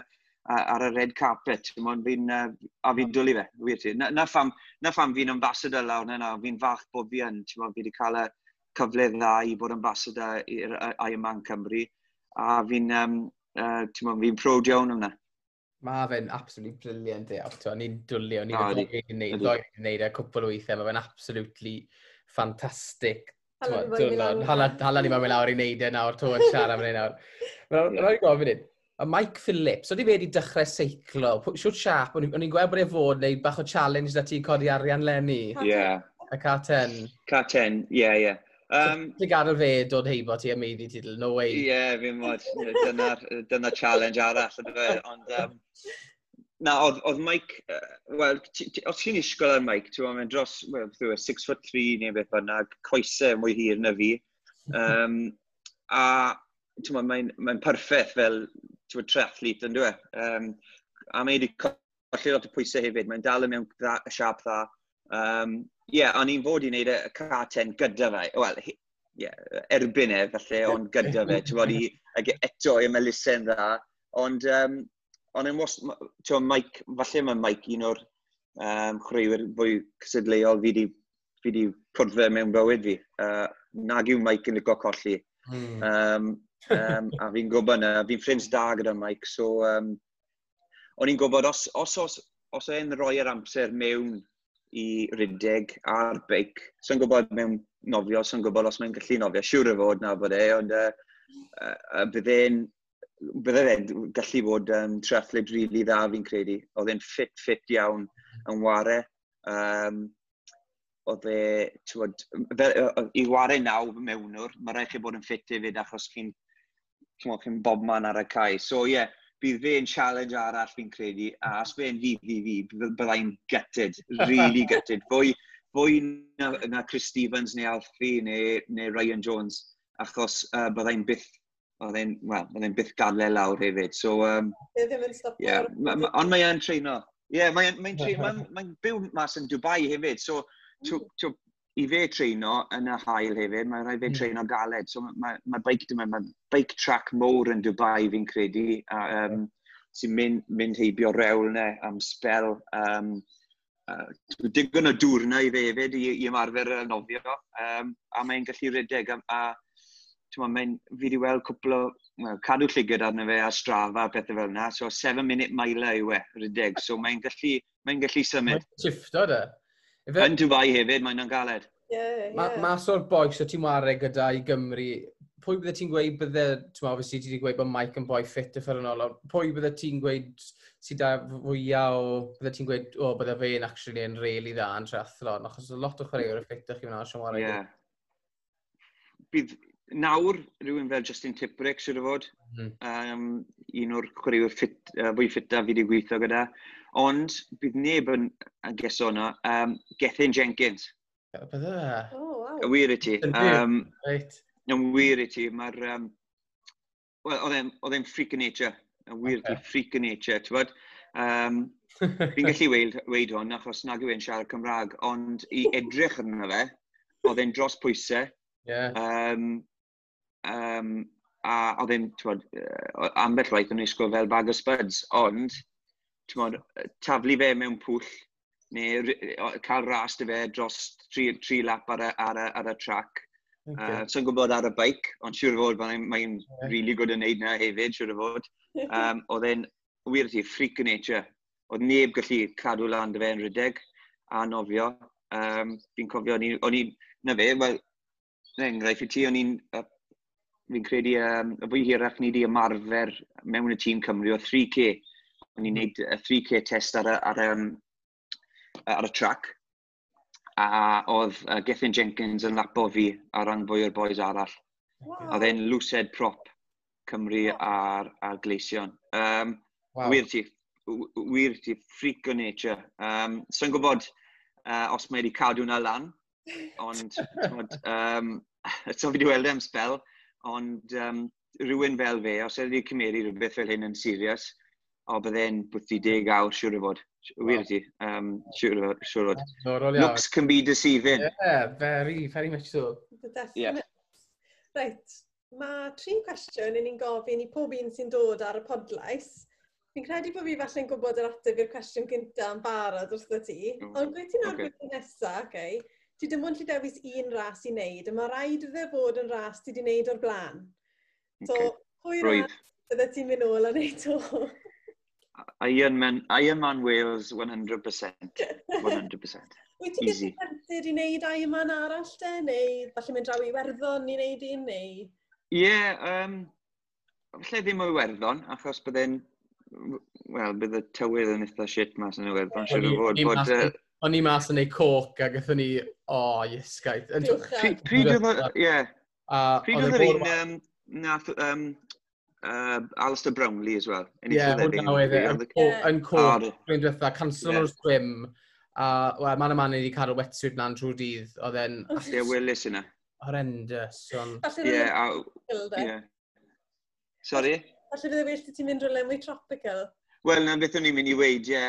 y red carpet. Ti'n a fi'n dwlu fe, wir ti. Na pham fi'n ambassador lawr na, fi'n falch bod fi yn, ti'n fi wedi cael y cyfle dda i bod ambassador i'r Ironman Cymru, a fi'n fi proud iawn am. Mae fe'n absolutely brilliant e, Auto. Ni'n dwlu, o'n i'n gwneud e cwpl o weithiau, mae fe'n absolutely fantastic. Hala ni mae'n mynd lawr i wneud e nawr, to yn siarad am hynny nawr. Mae'n rhaid gofyn un. A Mike Phillips, oedd i fe wedi dechrau seiclo, siwt siap, o'n i'n gweld bod e fod wneud bach o challenge da ti codi arian leni. Ie. Yeah. Y Car 10. Car 10, ie, ie. Ti'n gadael fe dod heibo ti a meiddi ti, no way. Ie, yeah, fi'n mod, dyna challenge arall, ydw fe. Ond, na, oedd Mike, wel, os ti'n isgol ar Mike, ti'n meddwl, dros, wel, 6 foot 3 neu beth bynnag, coesau mwy hir na fi. A, ti'n meddwl, mae'n perffaith fel, ti'n meddwl, triathlete, yn dwi? A mae wedi colli lot o pwysau hefyd, mae'n dal yn mewn siap dda. Yeah, o'n i'n fod i wneud y car 10 gyda fe. Wel, yeah, erbyn e, falle, ond gyda fe. Ti'n bod, i, eto i elusen dda. Ond, ond yn was, ti'n Mike, falle mae Mike un o'r chwaraewyr fwy cystadleuol fi di cwrdd fe mewn bywyd fi. Nag yw Mike yn licio colli. A fi'n gwybod na, fi'n ffrind da gyda Mike, so o'n i'n gwybod os e'n rhoi'r amser mewn i rydeg a'r beic. So'n gwybod mewn nofio, so'n gwybod os mae'n gallu nofio. Siwr o fod na bod e, ond bydde fe'n gallu bod triathlete really dda fi'n credu. Oedd e'n ffit iawn yn ware. Oedd e, t'wod, fel, i ware naw mewnwr, mae rhaid chi bod yn ffit hefyd achos chi'n bobman ar y cae. So ie, yeah, bydd fe'n challenge arall fi'n credu, a os fe'n fi, byddai'n gutted, really gutted. Fwy na Chris Stevens neu Alfie neu Ryan Jones, achos byddai'n byth, oedd well, byddai'n byth gadael e lawr hefyd. So, ddim yn stopio. Yeah, ond mae e'n treino. Ie, yeah, mae'n mae mae, mae byw mas yn Dubai hefyd, so i fe treino yn y haul hefyd, mae'n rhaid fe treino galed. So mae bike, mae bike track mowr yn Dubai fi'n credu, a, sy'n mynd heibio rewl 'na am spel. Digon o dŵr 'na i fe hefyd i ymarfer y nofio, a mae'n gallu rhedeg. A mae'n, fi wedi weld cwpl o, well, cadw llygad arno fe a Strava a pethau fel yna, so 7 minute miler yw e, rhedeg, so mae'n gallu symud. Mae'n shifto de. Ife, Yn Dubai hefyd, mae'n galed. Yeah. Mas o'r bois o ti'n ware gyda i Gymru, pwy bydde ti'n gweud bydde, ti'n meddwl, obviously ti wedi gweud bod Mike yn boi ffit uffernol, ond pwy bydde ti'n gweud sydd da fwyaf o, bydde ti'n gweud, o, bydde fe'n actually yn really dda yn triathlon, achos lot o chwaraewyr y ffit chi fyna, sy'n ware. Yeah. Bydd nawr rhywun fel Justin Tipuric, siwr o fod. Un o'r chwaraewyr fwy ffita fi wedi gweithio gyda. Ond bydd neb yn geso yna. Gethin Jenkins. Bydde fe? Oh, wow. Y wir i ti. Yn byw? Yn wir i ti, mae'r... Wel, oedd e'n freak of nature. Yn wir i ti, freak of nature, ti'n bod? Fi'n gallu weud hwn, achos nag yw e'n siarad Cymraeg, ond i edrych arno fe, oedd e'n dros pwysau. A oedd e'n, ti'n bod, ambell waith o'n wisgo fel bag o spuds, ond, ti'n bod, taflu fe mewn pwll, neu cael ras 'da fe dros tri lap ar y track. So'n gwybod ar y bike, ond siŵr o fod mae'n really good yn neud na hefyd, siŵr o fod. Oedd e'n, wir i ti, freak of nature. Oedd neb gallu cadw lan 'da fe yn rhedeg a nofio. Fi'n cofio, o'n i, na fe, wel, na enghraifft i ti, o'n i'n, fi'n credu, y fwy hirach ni wedi ymarfer mewn y tîm Cymru o 3K. O'n i'n neud y 3K test ar y track. A oedd Gethin Jenkins yn lapo fi ar ran fwy o'r boys arall. Oedd e'n loosehead prop Cymru a'r Gleision. Wir ti, freak o nature. So'n gwybod os mae wedi cadw hwnna lan, ond t'mod, so fi wedi weld e am spel, ond rhywun fel fe, os wedi cymeru rhywbeth fel hyn yn serious, o bydde'n bwthi 10 awr siŵr o fod. Wir ti, siŵr o fod. Siŵr o fod. Diddorol iawn. Looks can be deceiving. Yeah, very, very much so. Definite. Reit, mae tri cwestiwn i ni'n gofyn i pob un sy'n dod ar y podlais. Fi'n credu bod fi falle'n gwybod yr ateb i'r cwestiwn gyntaf yn barod wrtho ti. Ond gweud ti'n nawr beth nesaf, okay? Ti dim ond lle dewis un ras i wneud, a mae rhaid iddo fod yn ras ti wedi wneud o'r blaen. So, pwy ras bydde ti'n mynd nôl a wneud to? Ironman Wales 100%. 100%. Wyt ti'n Easy. gallu tempted i wneud Ironman arall te? Neu falle mynd draw i Iwerddon i wneud un, neu? Ie, yeah, falle ddim o Iwerddon, achos bydde'n... Wel, bydd y tywydd yn eitha shit mas yn Iwerddon, siŵr o fod. O'n i mas yn neud coc a gathon ni, o, oh, iesgaeth. Pryd oedd, ie. Pryd oedd yr un nath Alistair Brownlee as well? Ie, yeah, hwnna oedd e, yn coc, blwyddyn diwetha, cancel o'r swim, a wel, man a man wedi cadw wetsuit lan trwy'r dydd, oedd e'n Ie, welis yna. Horrendous. Ond Ie, ie. Sorry? Falle fydde well ti'n mynd rhywle mwy tropical. Wel, na beth o'n i'n mynd i weud, ie.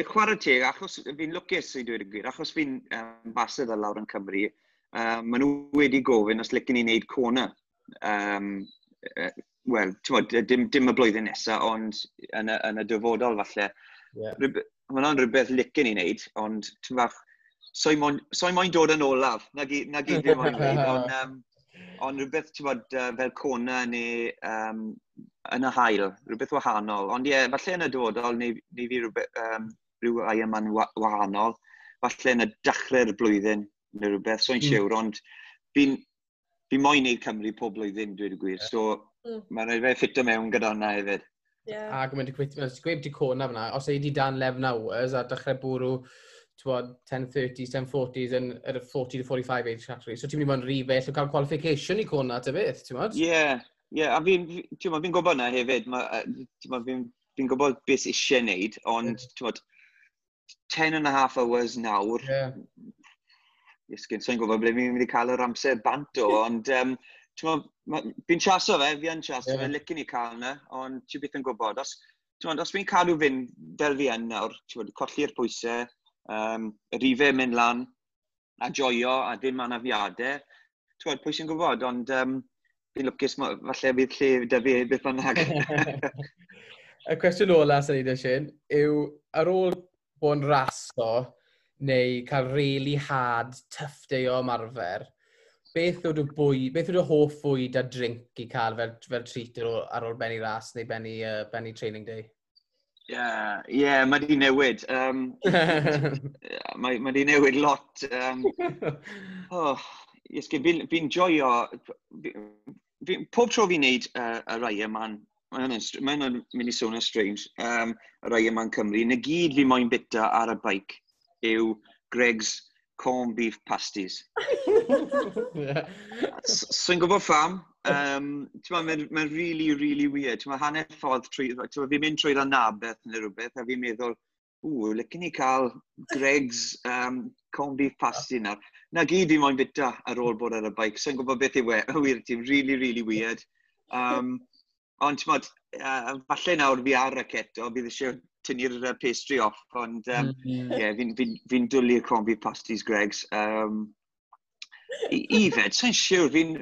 Chwarae teg, achos fi'n lwcus i dweud y gwir, achos fi'n ambassador lawr yn Cymru, maen nhw wedi gofyn os licen i wneud Kona. Wel, ti'n dim y blwyddyn nesaf, ond yn y dyfodol falle. Mae hwnna'n rhywbeth licen i wneud, ond ti'n bach, soi moyn dod yn olaf, na gyd fi moyn dweud, ond rhywbeth, ti'n bod, fel Kona neu yn y haul, rhywbeth wahanol. Ond ie, yeah, falle yn y dyfodol, neu fi rhywbeth, rhyw Ironman wahanol, falle yn y dechrau'r blwyddyn neu rhywbeth, so'n siwr, ond fi moyn neud Cymru pob blwyddyn, dweud y gwir. So, mae'n rhaid fe ffito mewn gyda hwnna hefyd. A gwneud y gweud di Kona fyna, os ei di dan 11 hours a dechrau bwrw t'wod, 10:30s, 10:40s yn yr 40 to 45 age category. So ti'n mynd i fod yn rhy bell o cael qualification i Kona ta beth, ti'n modd? Ie, a fi'n gwybod na hefyd, fi'n gwybod beth eisiau wneud, ond, ti'n modd, 10 and a half hours nawr, Iesgyn, so'n gwybod ble fi'n mynd i cael yr amser bant o, ond fi'n chaso fe, fi yn chaso fe, licen i cael yna, ond ti byth yn gwybod. Os, ti'n os fi'n cadw fynd fel fi yn nawr, ti'n colli'r pwysau, Y rifau mynd lan a joio a dim anafiadau. Ti'n pwy sy'n gwybod, ond fi'n lwcus falle bydd lle 'da fi beth bynnag. Y cwestiwn ola sy'n ei Shane, yw ar ôl bod yn raso neu cael really hard, tough day o ymarfer, beth yw dy bwyd, beth yw dy hoff fwyd a drink i cael fel treat ar ôl benni ras neu benni training day? Ie, yeah, mae di newid. Mae di newid lot. Oh, yes, fi'n fi joio. Pob tro fi'n neud y rai yma'n, mae hwnna'n mynd i swnio strange, y rai yma'n Cymru, na gyd fi moyn bita ar y bike yw Greggs corned beef pasties. So'n gwybod pham. Mae'n ma really, really weird. Ti'n hanner ffordd trwy. Fi'n mynd trwy'r Anabeth neu rhywbeth, a fi'n meddwl, "Ww, licen i cael Greggs corned beef pasty nawr." Na gyd fi moyn bita ar ôl bod ar y bike. So'n gwybod beth yw e. Wir, ti'n really, really weird. Ond ti'n falle nawr fi ar y keto, bydd eisiau tynnu'r pastry off, ond yeah, fi dwlu y corned beef pasties Greggs. I fed, sa'n siwr, fi'n...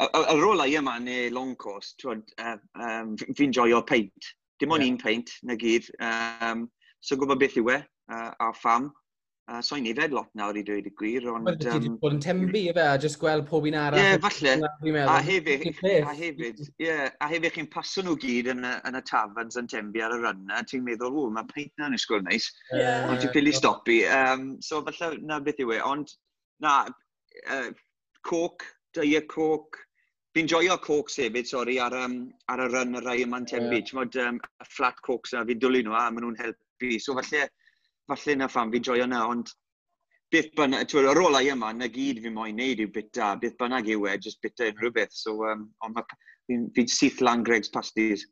Ar ôl yma neu long course, fi'n joio peint. Dim ond un peint, na gyd. So gwybod beth yw e, a pham. So'n ifed lot nawr i dweud y gwir, ond Ti wedi bod yn Tenby, efe, a just gweld pob un arall. Ie, yeah, falle. A hefyd, ie, a hefyd chi'n paso nhw gyd yn y taverns yn Tenby ar y run na, ti'n meddwl, "Ww, mae peint na'n ysgol neis." Ond ti'n ffili stopi. So falle na beth yw e. Ond, na, Coke, Diet Coke. Fi'n joio Cokes hefyd, sori, ar y run y rai yma'n Tenby. Ti'n modd, y flat Cokes na, fi'n dwlu nhw a maen nhw'n helpu. So falle na pham fi'n joio na, ond beth bynnag, ti'n ar ôl yma, na gyd fi moyn neud yw bita, beth bynnag yw e, just bita unrhyw beth. So, ond fi'n syth lan Greggs pasties.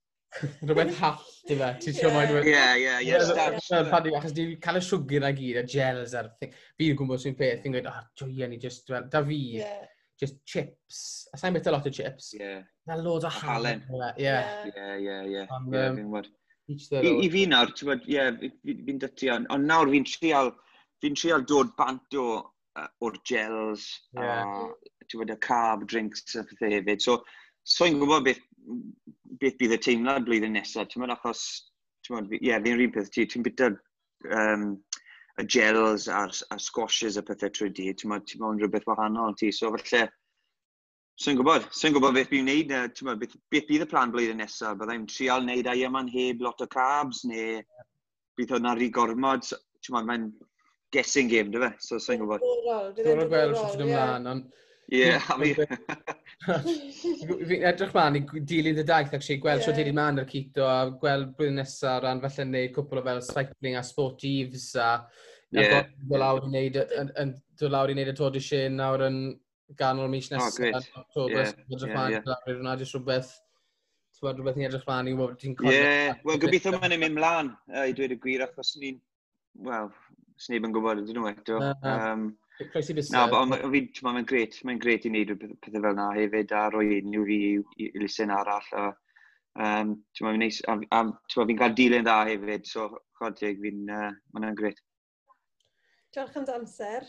Rhywbeth hallt i fe. Ti'n siŵr moyn. Ie. Achos ti'n cael y siwgr na gyd, y gels a'r thing. Fi'n gwybod sy'n peth, fi'n gweud, "Oh, joia ni just, well, da fi, just chips." A sa'n bita lot o chips. Na loads o halen. Ie. Ie. Ie, fi'n gwybod. I fi nawr, ti'n gwybod, ie, fi'n dytu, ond nawr fi'n trial dod bant o'r gels, a ti'n gwybod, y carb drinks a pethau hefyd. So, so'n gwybod beth bydd y teimlad blwyddyn nesaf, ti'n gwybod, achos, ti'n gwybod, ie, fi'n rhan peth, ti'n bita y gels a'r squashes a pethau trwy di, ti'n gwybod, ti'n gwybod rhywbeth wahanol ti, so falle, so'n gwybod beth fi'n neud, ti'n gwybod, beth bydd y plan blwyddyn nesaf, byddai'n trial neud Ironman heb lot o carbs, neu bydd hwnna rhy gormod, ti'n gwybod, mae'n guessing game, dy fe, so so'n gwybod. Diddorol gweld sut ti'n ymlaen, ond Ie, a fi. Fi'n edrych mlaen i dilyn dy daith, actually, gweld yeah. Sut ti'n mynd ar keto a gweld blwyddyn nesaf ran falle neud cwpl o fel cycling a sportives a dod lawr i wneud y Tour de Shane nawr yn ganol mis nesaf. Oh, great. October, edrych mlaen lawr i hwnna, jyst rhywbeth ni'n edrych mlaen i wybod ti'n cofio. Ie, wel, gobeithio mae'n mynd mlaen, i dweud y gwir, achos ni'n, wel, sneb yn gwybod ydyn nhw eto. Croesi bysedd. Na, ond mae'n grêt, mae'n grêt i wneud pethau fel yna hefyd, a rhoi unrhyw fi i elusen arall. A, mae'n neis, a fi'n cael dilyn dda hefyd, so chwarae teg, mae'n grêt. Diolch am dy amser.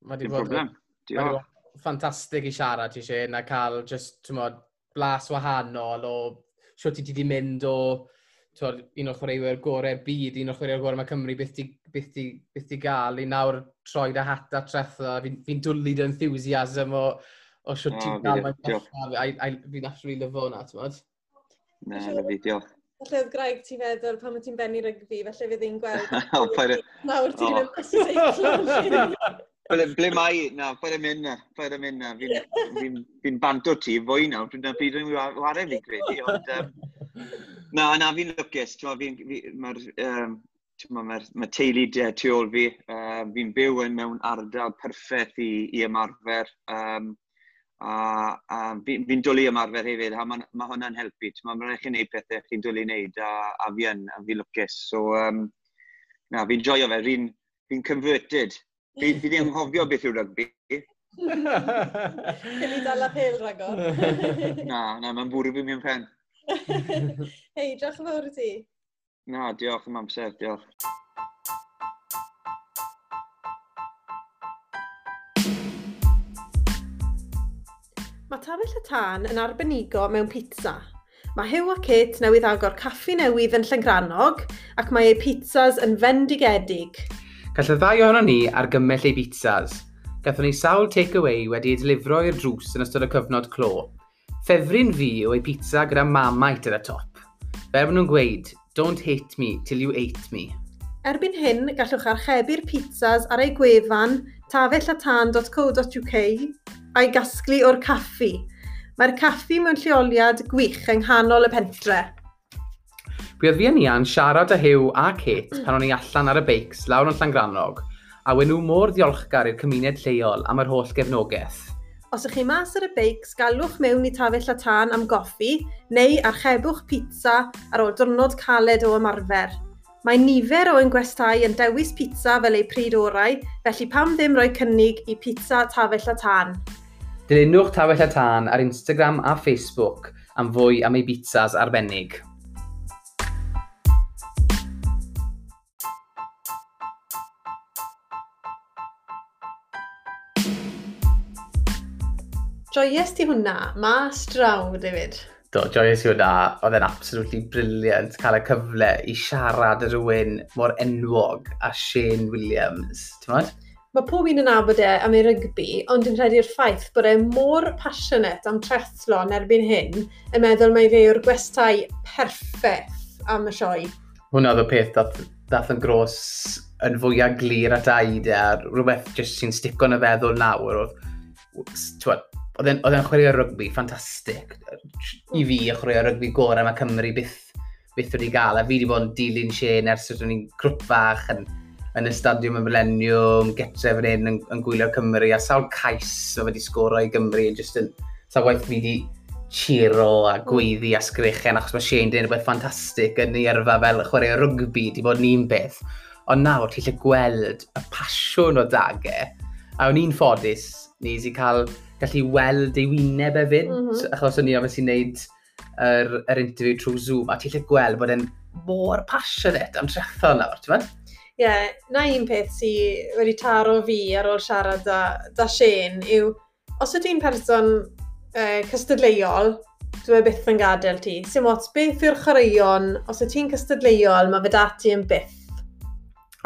Mae di bod problem. Diolch. Ffantastig i siarad ti, Shane, a cael just, ti'n modd, blas wahanol o siwt ti wedi mynd o twod, un o'r chwaraewyr gorau'r byd, un o'r chwaraewyr gorau mae Cymru, beth ti gael i nawr troi dy hat a tretha. Fi'n fi dwlu dy enthusiasm o siwt ti'n gael mae'n. Fi'n absolutely lyfo hwnna, ti'n modd? Na, lyfli, diolch. Falle oedd Graig ti'n feddwl pan ti'n benni rygbi, falle fydd hi'n gweld nawr ti'n mynd mas i seiclo. Ble mae, na, paid â mynd na, paid â mynd na. Fi bant o ti, fwy nawr, dwi'n pryd dwi'n ware fi'n credu, ond na, fi'n lwcus, mae'r ma teulu tu ôl fi, fi'n byw yn mewn ardal perffaith i ymarfer, a fi dwlu ymarfer hefyd, a mae ma hwnna'n helpu. Mae'n rhaid chi wneud pethau chi'n dwlu wneud, a fi yn, a fi lwcus. So, na, fi'n joio fe, fi'n converted. Fi ddim anghofio beth yw rygbi. Cyn i dal a pel ragor. Na, mae'n bwrw fi mewn pen. Hei, diolch yn fawr i ti. Na, diolch am amser, diolch. Mae Tafell y Tân yn arbenigo mewn pizza. Mae Huw a Kate newydd agor caffi newydd yn Llangrannog ac mae eu pizzas yn fendigedig. Gall y ddau ohonon ni argymell eu pizzas. Gathon ni sawl takeaway wedi ei delifro i'r drws yn ystod y cyfnod clo. Ffefryn fi yw ei pizza gyda Marmite ar y top. Fel maen nhw'n gweud, "Don't hate me till you ate me." Erbyn hyn, gallwch archebu'r pizzas ar eu gwefan tafellatan.co.uk a'i gasglu o'r caffi. Mae'r caffi mewn lleoliad gwych yng nghanol y pentre. Buodd fi a Nia'n siarad â Huw a Kate pan o'n i allan ar y beics lawr yn Llangrannog, a wen nhw mor ddiolchgar i'r cymuned lleol am yr holl gefnogaeth. Os ych chi mas ar y beics, galwch mewn i Tafell a Tân am goffi neu archebwch pizza ar ôl diwrnod caled o ymarfer. Mae nifer o ein gwestai yn dewis pizza fel eu pryd orau, felly pam ddim rhoi cynnig i pizza Tafell a Tân? Dilynwch Tafell a Tân ar Instagram a Facebook am fwy am ei pizzas arbennig. Joies ti hwnna, mas draw, David. Do, joies i hwnna. Oedd e'n absolutely brilliant cael y cyfle i siarad â rhywun mor enwog a Shane Williams. Ti'n Mae pob un yn nabod e am ei rygbi, ond dwi'n credu'r ffaith bod e mor passionate am triathlon erbyn hyn, yn meddwl mai fe yw'r gwestai perffaith am y sioe. Hwnna oedd y peth dath yn gros yn fwyaf glir at aid e, a rhywbeth jyst sy'n stico yn y feddwl nawr. Oedd, oedd e'n chwarae rygbi ffantastig. I fi, y chwarae rygbi gorau mae Cymru byth wedi gael. A fi wedi bod yn dilyn Shane ers ydyn ni'n grwp fach yn y Stadiwm y Millennium, getre fan hyn yn gwylio Cymru, a sawl cais o wedi sgoro i Gymru, just yn, sawl waith fi wedi cheero a gweiddi a sgrechen, achos mae Shane wedi rhywbeth ffantastig yn ei yrfa fel chwarae rygbi, di bod yn un beth. Ond nawr, ti'n lle gweld y pasiwn o dag e, a o'n i'n ffodus, nes i cael gallu weld ei wyneb hefyd, achos o'n i obviously wneud yr interview trwy Zoom, a ti'n lle gweld bod e'n mor passionate am triathlon nawr, ti'n meddwl? Ie, yeah, na un peth sydd wedi taro fi ar ôl siarad da Shane yw, os ydw i'n person cystadleuol, dwi e byth yn gadael ti. Sim ots beth yw'r chwaraeon, os ydw ti'n cystadleuol, mae fe da ti yn byth.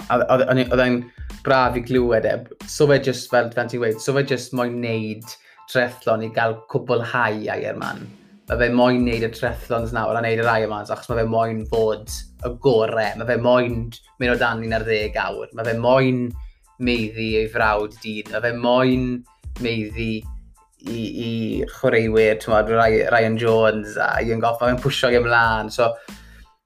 Oedd e'n braf i glywed e. So fe just, fel ti'n gweud, so fe just moyn neud triathlon i gael cwblhau Ironman. Mae fe moyn neud y triathlons nawr a neud yr Ironmans, achos mae fe moyn fod y gore. Mae fe moyn mynd o dan 11 awr. Mae fe moyn maeddu ei frawd dyn. Mae fe moyn maeddu i chwaraewyr, ti'n gwbod, Ryan Jones a Ian Goff. Mae fe'n pwysio i ymlaen. So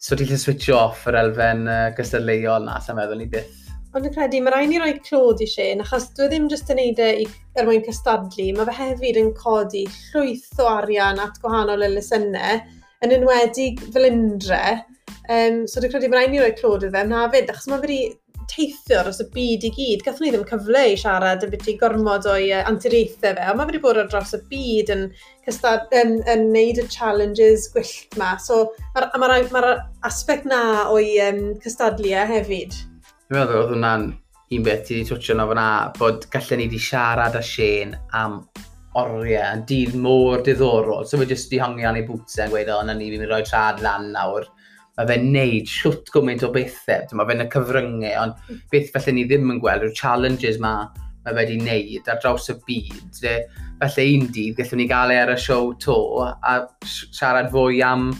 ti'n gallu switch off yr elfen gystadleuol na, sa'n meddwl ni byth. Ond dwi'n credu, mae rhaid ni roi clod i Shane, achos dwi ddim jyst yn neud e er mwyn cystadlu, mae fe hefyd yn codi llwyth o arian at gwahanol elusennau, yn enwedig Felindre. So dwi'n credu mae rhaid ni roi clod iddo fe am hefyd, achos mae fe wedi teithio dros y byd i gyd. Gathon ni ddim cyfle i siarad yn byti gormod o'i anturiaethau fe, ond mae fe wedi bod ar draws y byd yn neud y challenges gwyllt ma. So mae'r ma aspect na o'i cystadlu hefyd. Dwi'n meddwl oedd hwnna'n un beth ti wedi twtio na fyna, bod gallen ni wedi siarad â Shane am oriau, yn dydd mor diddorol. So fe jyst wedi hongi an ei bootsau yn gweud, o, na ni, fi'n mynd i roi trad lan nawr. Mae fe'n neud siwt gymaint o bethau, mae fe'n y cyfryngau, ond beth felly ni ddim yn gweld yw'r challenges ma mae fe wedi neud ar draws y byd. Felly un dydd gallwn ni gael e ar y siow to a siarad fwy am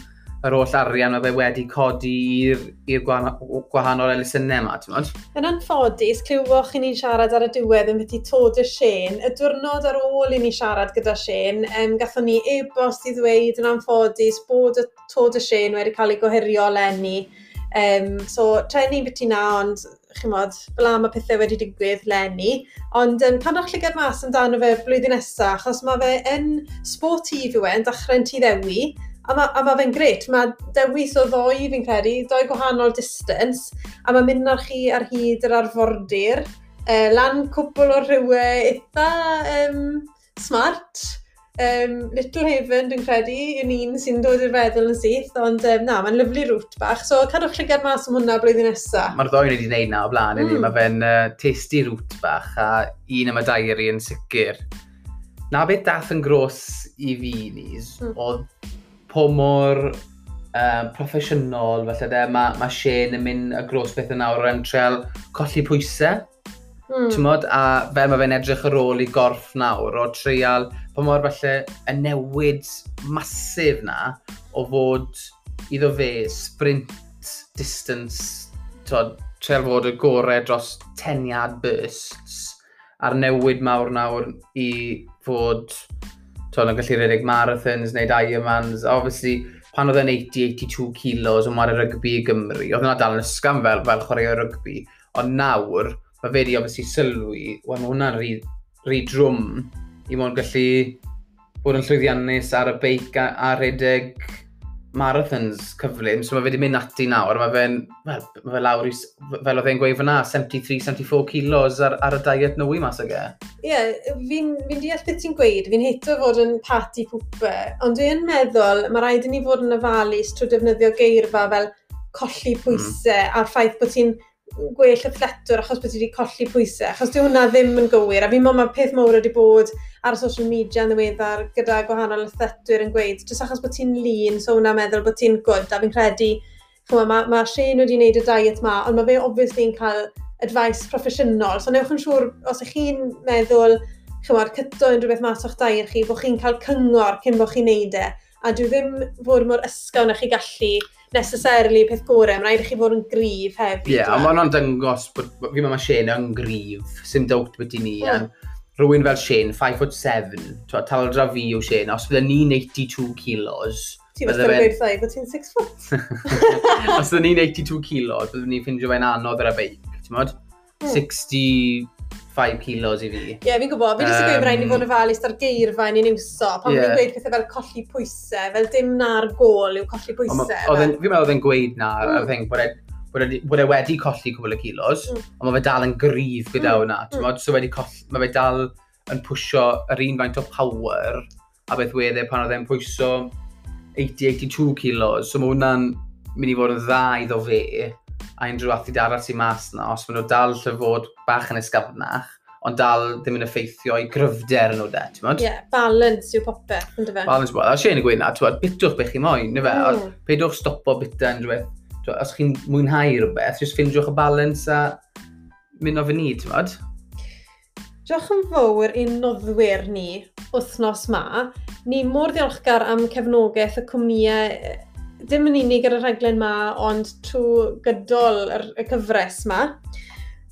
yr holl arian mae fe wedi codi i'r gwahanol elusennau yma, ti'n modd? Yn anffodus, clywoch i ni'n siarad ar y diwedd yn beth i Tour de Shane. Y diwrnod ar ôl i ni siarad gyda Shane, gathon ni e-bost i ddweud yn anffodus bod y Tour de Shane wedi cael ei gohirio leni. So, treni byti na, ond chimod, fel am y pethau wedi digwydd leni. Ond cadwch llygad mas amdano fe blwyddyn nesaf, achos mae fe yn sportif yw e, yn dechrau'n Tŷ Ddewi. A ma fe'n gret, mae dewis o ddoi fi'n credu, doi gwahanol distance, a mae'n mynd ar chi ar hyd yr arfordir, lan cwpl o rhywau eitha smart. Little Haven dwi'n credu, yn un sy'n dod i'r feddwl yn syth, ond na, mae'n lyfli route bach, so cadwch llygad mas am hwnna blwyddyn nesaf. Mae'r ddoi wedi gwneud na o blaen, mm. Mae fe'n tasty route bach, a un am y diary yn sicr. Na beth dath yn gros i fi, Nis, oedd po mor proffesiynol, falle de, mae Shane yn mynd y gros beth yn nawr yn treol colli pwysau. T'mod, a fel mae fe'n edrych ar ôl i gorff nawr, o treial, pa mor falle y newid masif na o fod iddo fe sprint distance, t'od, treial fod y gorau dros 10 yard bursts, a'r newid mawr nawr i fod, t'od, yn gallu rhedeg marathons, wneud Ironmans. Obviously, pan oedd e'n 80-82 kilos yn chwarae rygbi i Gymru, oedd hwnna dal yn ysgafn fel chwarae rygbi, ond nawr, mae fe wedi obviously sylwi, wel, mae hwnna'n rhy, rhy drwm i mwyn gallu bod yn llwyddiannus ar y beic a rhedeg marathons cyflym, so mae fe wedi mynd ati nawr, mae fe'n, wel, mae fe lawr i, fel oedd e'n gweud fyna, 73-74 kilos ar y diet nwy mas ag e. Ie, yeah, fi deall beth ti'n gweud, fi'n hato fod yn party pooper, ond dwi'n meddwl mae rhaid i ni fod yn ofalus trwy defnyddio geirfa fel colli pwysau a'r ffaith bod ti'n gwell athletwr achos bod ti wedi colli pwysau, achos dyw hwnna ddim yn gywir, a fi'n meddwl mae peth mawr wedi bod ar social media yn ddiweddar gyda gwahanol athletwyr yn gweud, jyst achos bod ti'n lean, so hwnna'n meddwl bod ti'n good, a fi'n credu, ch'mo, ma Shane wedi wneud y diet ma, ond mae fe obviously yn cael advice proffesiynol, so newch yn siŵr, os ych chi'n meddwl, ch'mod, cyto unrhyw beth mas o'ch diet chi, bod chi'n cael cyngor cyn bod chi'n neud e, a dwi ddim fod mor ysgawn â chi gallu necessarily peth gorau, mae'n rhaid i chi fod yn gryf hefyd. Ie, yeah, ond mae hwnna'n dangos bod, fi'n meddwl mae Shane yn gryf, sim doubt beth i ni. Rhywun fel Shane, 5 foot 7, taldra fi yw Shane, os bydde ni'n 82 kilos, Ti'n bydde fe'n gweud wrtha i bod ti'n 6 foot. Os bydde ni'n 82 kilos, bydde ni'n ffindio fe'n anodd ar y beic, ti'n modd? 65 kilos i fi. Ie, yeah, fi'n gwybod. Fi jyst yn gweud rhaid ni fod yn ofalus ar geirfa ni'n iwso. Pan ni'n gweud pethau fel colli pwysau, fel dim na'r gol yw colli pwysau. Fi'n meddwl oedd e'n gweud na, y thing, bod e wedi colli cwbl o kilos, ond mae fe dal yn gryf gyda hwnna. Ti'n so wedi colli, mae fe dal yn pwysio yr un faint o power a beth wedd e pan oedd e'n pwyso 80-82 kilos. So mae hwnna'n mynd i fod yn dda iddo fe a unrhyw athlete arall sy'n mas na, os maen nhw dal lle fod bach yn ysgafnach, ond dal ddim yn effeithio i gryfder nhw de, ti'n Ie, yeah, balance yw popeth, ynddo fe? Balance, a Shane yn gweud na, ti'n bitwch beth chi moyn, neu fe? Peidwch stopo bita unrhyw beth. T'mod, os chi'n mwynhau rhywbeth, jyst ffindiwch y balance a mynd o fyny, ti'n modd? Diolch yn fawr i'n noddwyr ni wythnos ma. Ni mor ddiolchgar am cefnogaeth y cwmnïau, dim yn unig ar y rhaglen ma, ond trwy gydol y cyfres ma.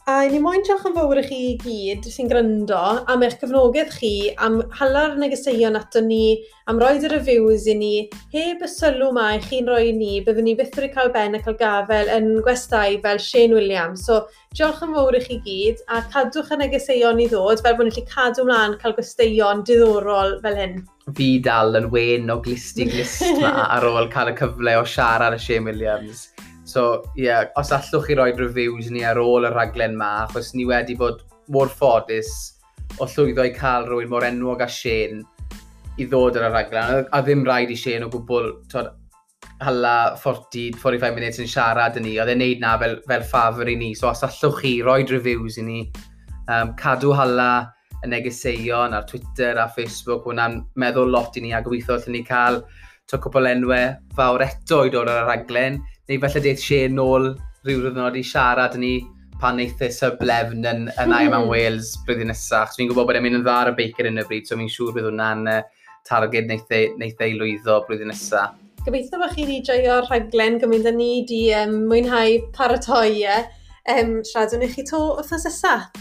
A ni moyn diolch yn fawr i chi i gyd sy'n gryndo am eich cefnogaeth chi, am hala'r negeseuon ato ni, am roed y reviews i ni. Heb y sylw ma i chi'n rhoi i ni, byddwn ni byth wedi cael ben a cael gafel yn gwestai fel Shane Williams. So, diolch yn fawr i chi gyd, a cadwch y negeseuon i ddod, fel bod ni'n gallu cadw mlaen cael gwesteion diddorol fel hyn. Fi dal yn wen o glust i glust ma ar ôl cael y cyfle o siarad â Shane Williams. So, ie, yeah, os allwch chi roi reviews ni ar ôl y rhaglen ma, achos ni wedi bod mor ffodus o llwyddo i cael rhywun mor enwog â Shane i ddod ar y rhaglen. A ddim rhaid i Shane o gwbl, t'od, hala 40, 45 minutes yn siarad yn ni. Oedd e'n neud na fel ffafr i ni. So, os allwch chi roi reviews i ni, cadw hala y negeseuon ar Twitter a Facebook, hwnna'n meddwl lot i ni a gobeithio allwn ni cael to cwpl enwau fawr eto i dod ar y rhaglen, neu falle deith Shane nôl rhyw ddiwrnod i siarad ni pan neith e sub 11 yn Ironman Wales blwyddyn nesaf. So fi'n gwybod bod e'n mynd yn dda ar y beic ar hyn o bryd, so fi'n siŵr bydd hwnna'n targed neith e i lwyddo blwyddyn nesaf. Gobeithio bod chi wedi joio'r rhaglen gymaint â ni wedi mwynhau paratoi e. Siaradwn i chi to wythnos nesaf.